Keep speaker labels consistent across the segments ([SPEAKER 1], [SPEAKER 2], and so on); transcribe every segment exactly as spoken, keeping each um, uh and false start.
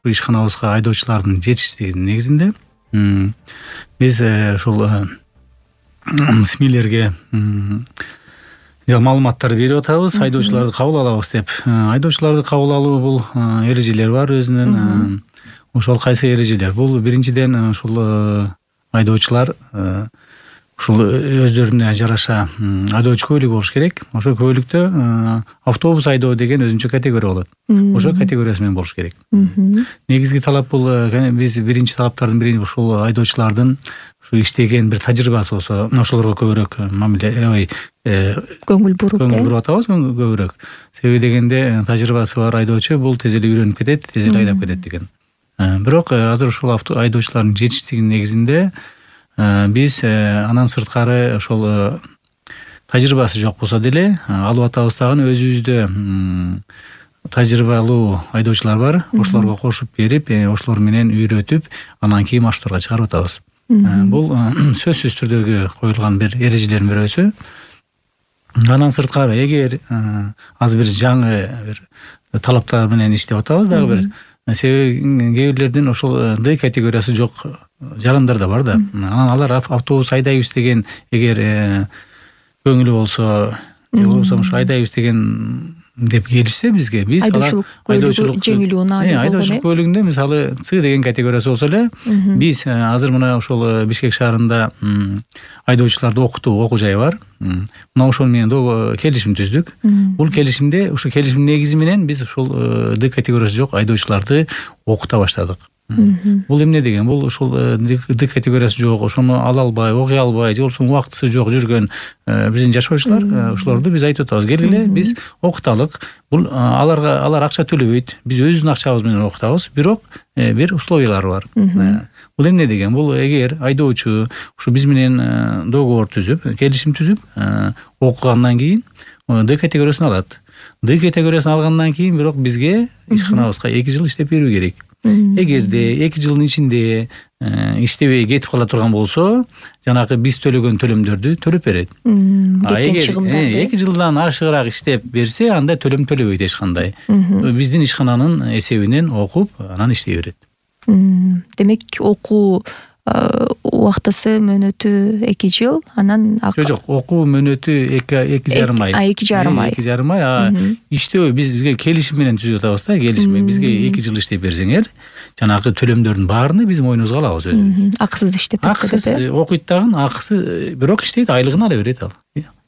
[SPEAKER 1] ишканабызга айдоочулардын жетишсиздигинин негизинде биз ушул СМИлерге маалыматтарды берип атабыз, айдоочуларды кабыл алабыз деп. Айдоочуларды кабыл алуу бул эрежелер бар өзүнүн. Ошол кайсы эрежелер? Бул биринчиден ушул айдоочулар ушул өздөрүнө жараша айдоочу кубөлүгү болуш керек. Ошол кубөлүктө автобус айдоо деген өзүнчө категория болот. Ошол категориясы менен болуш керек. Негизги талап бул биз биринчи талаптардын бири ушул айдоочулардын ушу иштеген бир тажрыйбасы болсо, ошолорго көбүрөөк мамиле ой
[SPEAKER 2] көңүл буруп
[SPEAKER 1] көңүл буруп атабыз көбүрөөк. Себеби дегенде тажрыйбасы бар айдоочу бул тез эле үйрөнүп кетет, тез эле айдап кетет деген. Бирок азыр ушул айдоочулардын жетишсиздигинин негизинде биз андан сырткары ошол тажрыйбасы жок болсо деле алып атабыз дагы өзүбүздө тажрыйбалуу айдоочулар бар. Ошолорго кошуп берип, ошолор менен үйрөтүп, анан кийин маршруттарга чыгарып атабыз. Бул сөзсүз түрдөгү коюлган бир эрежелердин бирөөсү. Андан сырткары эгер азыр бир жаңы бир талаптар менен иштеп атабыз дагы бир. Себеби кээ бирлердин ошол Д категориясы жок жарандар да бар да. Анан алар автобус айдайбыз деген эгер көңүлү болсо, же болбосо ошо айдайбыз деген деп келишсе бизге, биз
[SPEAKER 2] айдоочулук жеңил унаа деп
[SPEAKER 1] айдоочулук бөлүгүндө мисалы С деген категориясы болсо эле, биз азыр мына ошол Бишкек шаарында айдоочуларды окутуу окуу жайы бар. Мына ошол менен келишим түздүк. Бул келишимде, ушул келишимдин негизи менен биз ушул Д категориясы жок айдоочуларды окута баштадык. Бул эмне деген? Бул ушул Д категориясы жок, ошону ала албай, окуй албай, же болбосо убактысы жок жүргөн биздин жашоочулар, ошолорду биз айтып атабыз, келгиле биз окуталык. Бул аларга алар акча төлөбөйт. Биз өзүбүздүн акчабыз менен окутабыз, бирок бир условиялары бар. Бул эмне деген? Бул эгер айдоочу ушу биз менен договор түзүп, келишим түзүп, окугандан кийин Д категориясын алат. Д категориясын алгандан кийин бирок бизге ишканабызга эки жыл иштеп берүү керек. Эгерде эки жылдын ичинде иштебей кетип кала турган болсо, жанагы биз төлөгөн төлөмдөрдү төлөп берет. А эгер эки жылдан ашыгыраак иштеп берсе, анда төлөм төлөбөйт эч кандай. Биздин ишкананын эсебинен окуп, анан иштей берет.
[SPEAKER 2] Демек, окуу убактысы мөөнөтү эки жыл, анан
[SPEAKER 1] жок жок, окуу мөөнөтү эки жарым ай.
[SPEAKER 2] А эки жарым ай.
[SPEAKER 1] эки жарым ай. А иштөө биз бизге келишим менен түзүп атабыз да, келишим менен бизге эки жыл иштеп берсеңер, жанагы төлөмдөрдүн баарыны биз мойнубузга алабыз өзүбүз.
[SPEAKER 2] Акысыз иштеп берсе
[SPEAKER 1] акысыз окуйт дагы, акысы бирок иштейт, айлыгын ала берет ал.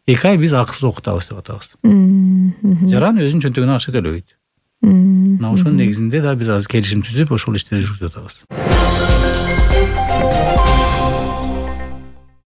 [SPEAKER 1] эки ай биз акысыз окутабыз деп атабыз. Жаран өзүнүн чөнтөгүнө акча төлөбөйт. Мына ошонун негизинде да биз азыр келишим түзүп, ошол иштерди жүргүзүп атабыз.